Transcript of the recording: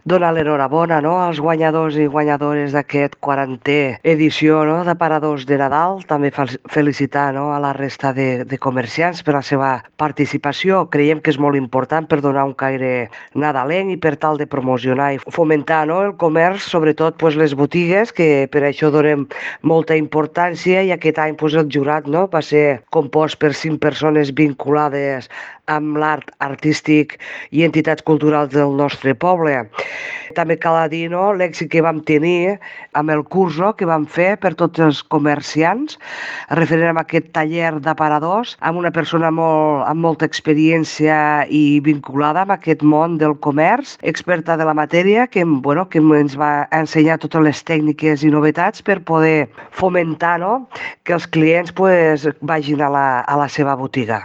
donar l'enhorabona, no?, als guanyadors i guanyadores d'aquest 40è edició, no?, d'aparadors de Nadal. També felicitar, no?, a la resta de comerciants per la seva participació. Creiem que és molt important per donar un caire nadalenc i per tal de promocionar i fomentar, no?, el comerç, sobretot pues, les botigues, que per això donem molta importància, i aquest any pues, el jurat, no?, va ser compost per 5 persones vinculades amb l'art artístic i entitats culturals del nostre poble. També cal dir, no?, l'èxit que vam tenir amb el curs, no?, que vam fer per tots els comerciants, referent a aquest taller d'aparadors, amb una persona amb molta experiència i vinculada amb aquest món del comerç, experta de la matèria, que ens va ensenyar totes les tècniques i novetats per poder fomentar, no?, que els clients pues, vagin a la seva botiga.